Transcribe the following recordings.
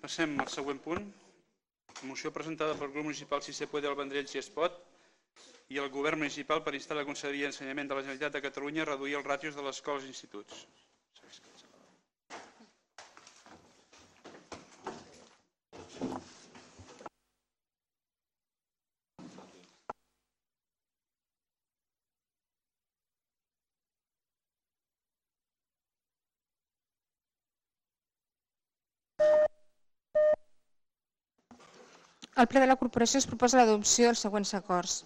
Passem al següent punt. Moció presentada pel grup municipal Si se puede al Vendrell si es pot i el govern municipal per instar la Conselleria d'Ensenyament de la Generalitat de Catalunya a reduir els ràtios de les escoles i instituts. Al ple de la corporació es proposa l'adopció dels següents acords.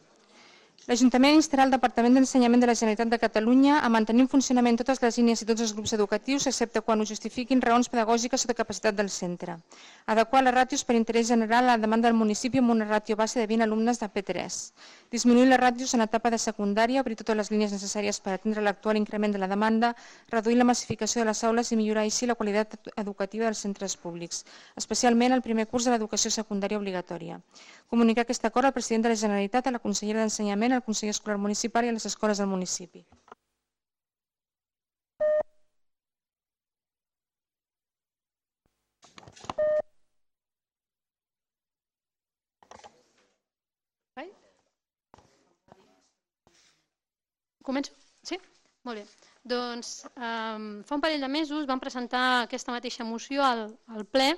L'Ajuntament instarà el Departament d'Ensenyament de la Generalitat de Catalunya a mantenir en funcionament totes les línies i tots els grups educatius, excepte quan ho justifiquin raons pedagògiques o de capacitat del centre. Adequar les ràtios per interès general a la demanda del municipi amb una ràtio base de 20 alumnes de P3. Disminuir les ràtios en etapa de secundària, obrir totes les línies necessàries per atendre l'actual increment de la demanda, reduir la massificació de les aules i millorar així la qualitat educativa dels centres públics, especialment el primer curs de l'educació secundària obligatòria. Comunicar aquest acord al president de la Generalitat, a la consellera d'Ensenyament, al conseller escolar municipal i a les escoles del municipi. Començo? Sí? Molt bé. Doncs fa un parell de mesos vam presentar aquesta mateixa moció al ple,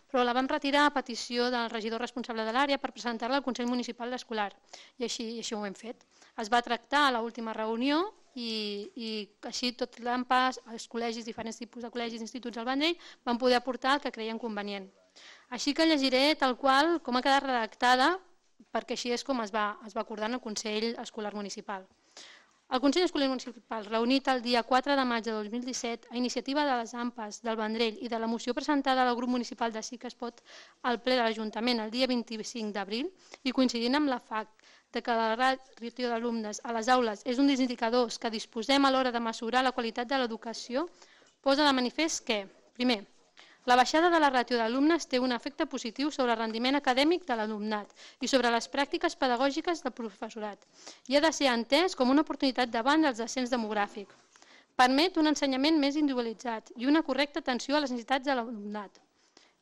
però la vam retirar a petició del regidor responsable de l'àrea per presentar-la al Consell Municipal d'Escolar. I així ho hem fet. Es va tractar a l'última reunió i així tot l'AMPAS, els col·legis, diferents tipus de col·legis i instituts del Vendrell van poder aportar el que creien convenient. Així que llegiré tal qual com ha quedat redactada, perquè així és com es va acordar en el Consell Escolar Municipal. El Consell Escolar Municipal, reunit el dia 4 de maig de 2017, a iniciativa de les AMPAs del Vendrell i de la moció presentada al grup municipal de Sí que es pot al ple de l'Ajuntament el dia 25 d'abril i coincidint amb la FAC de que la ràtio d'alumnes a les aules és un dels indicadors que disposem a l'hora de mesurar la qualitat de l'educació, posa de manifest que, primer, la baixada de la ràtio d'alumnes té un efecte positiu sobre el rendiment acadèmic de l'alumnat i sobre les pràctiques pedagògiques del professorat i ha de ser entès com una oportunitat davant del descens demogràfic. Permet un ensenyament més individualitzat i una correcta atenció a les necessitats de l'alumnat.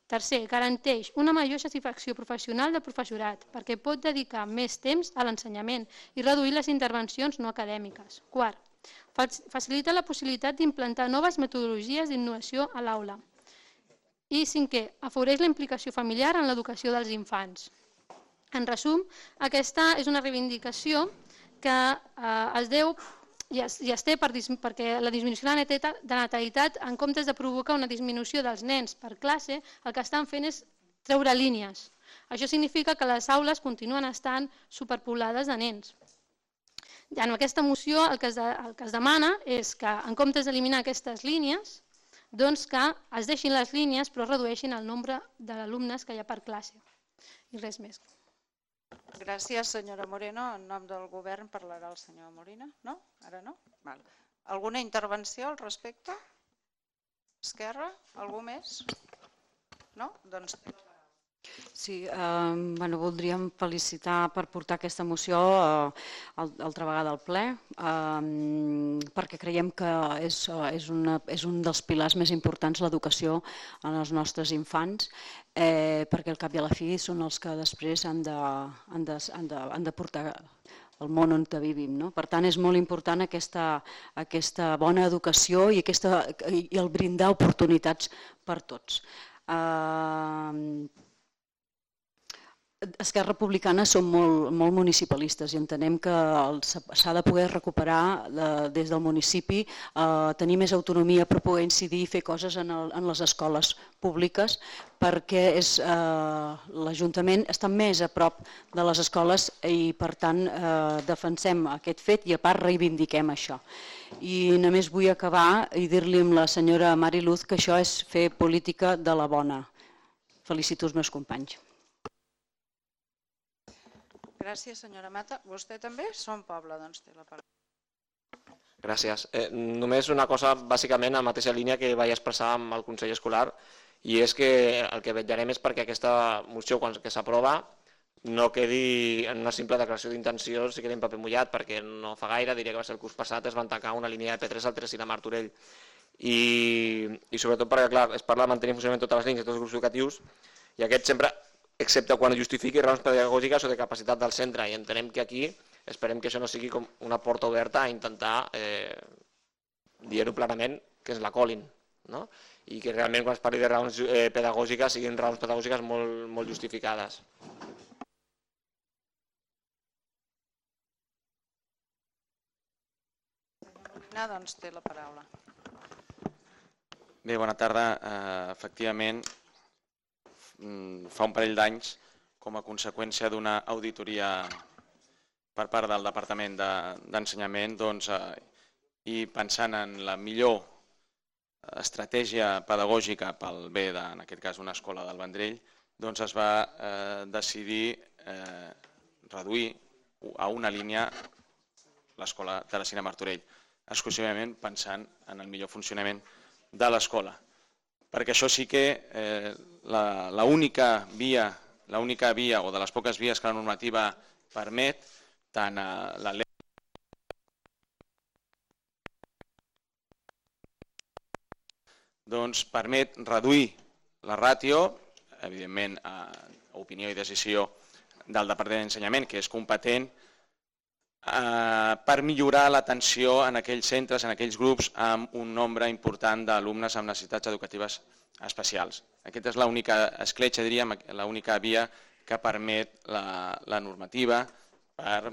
Tercer, garanteix una major satisfacció professional del professorat perquè pot dedicar més temps a l'ensenyament i reduir les intervencions no acadèmiques. Quart, facilita la possibilitat d'implantar noves metodologies d'innovació a l'aula. I cinquè, afavoreix la implicació familiar en l'educació dels infants. En resum, aquesta és una reivindicació que es deu i es té perquè la disminució de natalitat, en comptes de provocar una disminució dels nens per classe, el que estan fent és treure línies. Això significa que les aules continuen estant superpoblades de nens. En aquesta moció el que es demana és que, en comptes d'eliminar aquestes línies, doncs que es deixin les línies però redueixin el nombre d'alumnes que hi ha per classe. I res més. Gràcies, senyora Moreno. En nom del govern parlarà el senyor Molina. No? Ara no? Alguna intervenció al respecte? Esquerra? Algú més? No? Doncs... Sí, voldríem felicitar per portar aquesta moció altra vegada al ple, perquè creiem que és un dels pilars més importants l'educació en els nostres infants, perquè al cap i a la fi són els que després han de portar el món on vivim. Per tant, és molt important aquesta bona educació i el brindar oportunitats per tots. Esquerra Republicana som molt municipalistes i entenem que s'ha de poder recuperar des del municipi, tenir més autonomia per poder incidir i fer coses en les escoles públiques perquè l'Ajuntament està més a prop de les escoles i per tant defensem aquest fet i a part reivindiquem això. I només vull acabar i dir-li a la senyora Mari Luz que això és fer política de la bona. Felicito els meus companys. Gràcies, senyora Mata. Vostè també? Som Poble, doncs té la paraula. Gràcies. Només una cosa, bàsicament, a la mateixa línia que vaig expressar amb el Consell Escolar, i és que el que vetllarem és perquè aquesta moció, quan s'aprova, no quedi en una simple declaració d'intencions i quedi en paper mullat, perquè no fa gaire, diria que va ser el curs passat, es van tancar una línia de P3 al Tresina Martorell. i sobretot perquè, clar, es parla de mantenir en funcionament totes les línies i tots els grups educatius, i aquest sempre, excepte quan justifiqui raons pedagògiques o de capacitat del centre, i entenem que aquí esperem que això no sigui com una porta oberta a intentar dir-ho plenament que ens la colin, no? I que realment quan es parli de raons pedagògiques siguin raons pedagògiques molt justificades. Doncs té la paraula. Bé, bona tarda. Efectivament, fa un parell d'anys, com a conseqüència d'una auditoria per part del Departament d'Ensenyament, i pensant en la millor estratègia pedagògica pel bé, en aquest cas, d'una escola del Vendrell, doncs es va decidir reduir a una línia l'escola Teresina Martorell, exclusivament pensant en el millor funcionament de l'escola. Perquè això sí que l'única via o de les poques vies que la normativa permet, tant la llei doncs permet reduir la ràtio, evidentment a opinió i decisió del Departament d'Ensenyament, que és competent, per millorar l'atenció en aquells centres, en aquells grups amb un nombre important d'alumnes amb necessitats educatives especials. Aquesta és l'única escletxa, diríem, l'única via que permet la normativa per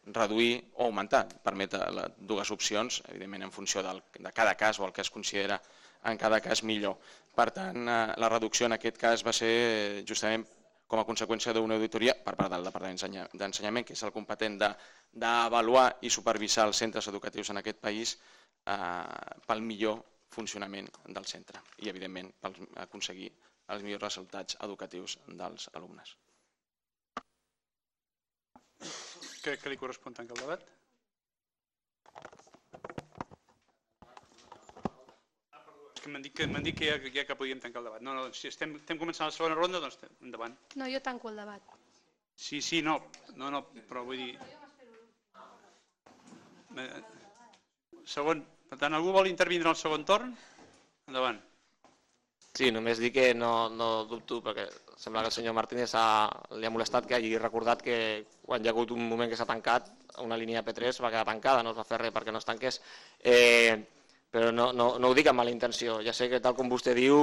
reduir o augmentar. Permet dues opcions, evidentment en funció de cada cas o el que es considera en cada cas millor. Per tant, la reducció en aquest cas va ser justament com a conseqüència d'una auditoria per part del Departament d'Ensenyament, que és el competent d'avaluar i supervisar els centres educatius en aquest país pel millor funcionament del centre i, evidentment, per aconseguir els millors resultats educatius dels alumnes. Crec que li correspon tancar el debat. M'han dit que ja que podíem tancar el debat. No, si estem començant la segona ronda, doncs endavant. No, jo tanco el debat. Sí, no, però vull dir... Segon, per tant, algú vol intervindre en el segon torn? Endavant. Sí, només dir que no dubto, perquè sembla que el senyor Martínez li ha molestat que hagi recordat que quan hi ha hagut un moment que s'ha tancat, una línia P3 va quedar tancada, no es va fer res perquè no es tanqués. Però no ho dic amb mala intenció. Ja sé que, tal com vostè diu,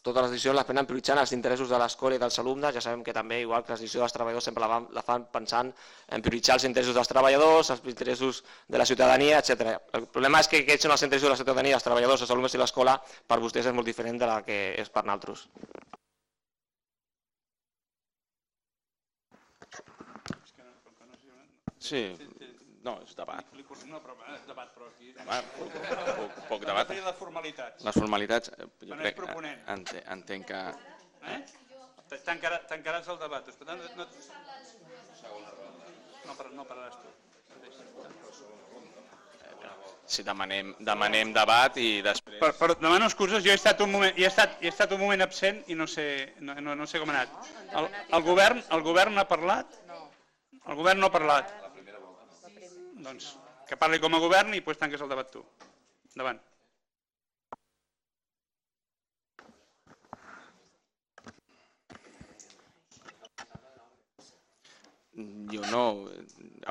totes les decisions les prenen prioritzant els interessos de l'escola i dels alumnes. Ja sabem que també, igual que les decisions dels treballadors, sempre la fan pensant en prioritzar els interessos dels treballadors, els interessos de la ciutadania, etc. El problema és que aquests són els interessos de la ciutadania, els treballadors, els alumnes i l'escola, per vostès és molt diferent de la que és per nosaltres. Sí. No, és debat. No, però és debat, però aquí... Poc debat. Les formalitats. Les formalitats, jo crec, entenc que... Tancaràs el debat. No pararàs tu. Si demanem debat i després... Demano excuses, jo he estat un moment absent i no sé com ha anat. El govern ha parlat? El govern no ha parlat. Doncs que parli com a govern i després tanques el debat tu. Endavant. Jo no...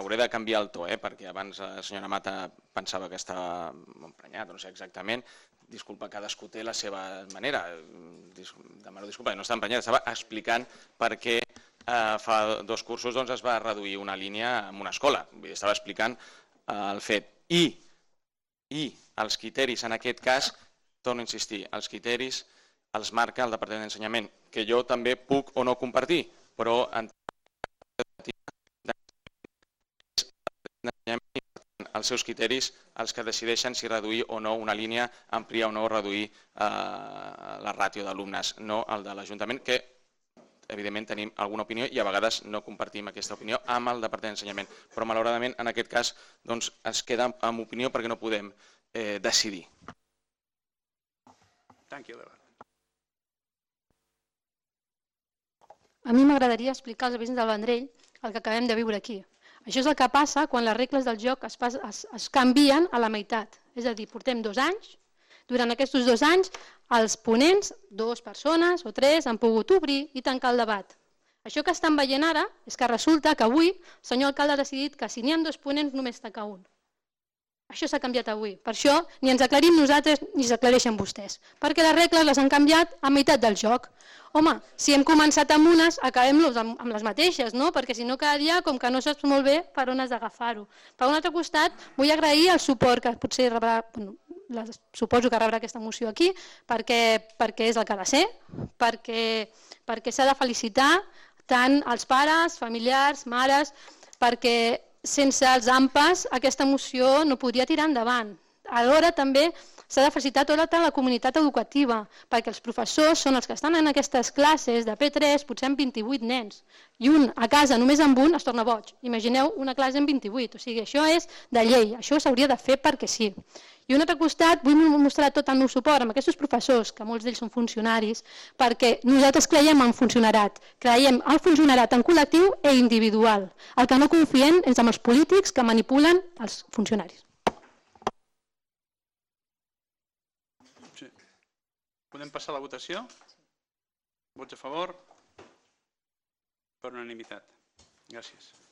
Hauré de canviar el to, perquè abans la senyora Mata pensava que estava emprenyat, no sé exactament. Disculpa, cadascú té la seva manera. Demano disculpa, no està emprenyat, estava explicant per què fa 2 cursos es va reduir una línia en una escola. Estava explicant el fet. I els criteris, en aquest cas, torno a insistir, els criteris els marca el Departament d'Ensenyament, que jo també puc o no compartir, però els seus criteris els que decideixen si reduir o no una línia, ampliar o no reduir la ràtio d'alumnes, no el de l'Ajuntament, que evidentment tenim alguna opinió i a vegades no compartim aquesta opinió amb el Departament d'Ensenyament. Però malauradament en aquest cas es queda amb opinió perquè no podem decidir. Tanqui el debat. A mi m'agradaria explicar als veïns del Vendrell el que acabem de viure aquí. Això és el que passa quan les regles del joc es canvien a la meitat. És a dir, portem 2 anys Durant aquests 2 anys, els ponents, 2 persones o 3, han pogut obrir i tancar el debat. Això que estan veient ara és que resulta que avui el senyor alcalde ha decidit que si n'hi ha 2 ponents només tancar un. Això s'ha canviat avui. Per això ni ens aclarim nosaltres ni s'aclareixen vostès. Perquè les regles les han canviat a meitat del joc. Home, si hem començat amb unes, acabem-los amb les mateixes, no? Perquè si no cada dia com que no saps molt bé per on has d'agafar-ho. Per un altre costat, vull agrair el suport que potser rebrà, suposo que rebrà aquesta moció aquí, perquè és el que ha de ser, perquè s'ha de felicitar tant els pares, familiars, mares, perquè sense els AMPAs aquesta moció no podria tirar endavant. Alhora també s'ha de felicitar tota la comunitat educativa, perquè els professors són els que estan en aquestes classes de P3, potser amb 28 nens, i un a casa només amb un es torna boig. Imagineu una classe amb 28, o sigui, això és de llei, això s'hauria de fer perquè sí. I un altre costat, vull mostrar tot el meu suport amb aquests professors, que molts d'ells són funcionaris, perquè nosaltres creiem en funcionarat, creiem en funcionarat en col·lectiu i individual. El que no confiem és amb els polítics que manipulen els funcionaris. Sí. Podem passar a la votació? Vots a favor? Per unanimitat. Gràcies.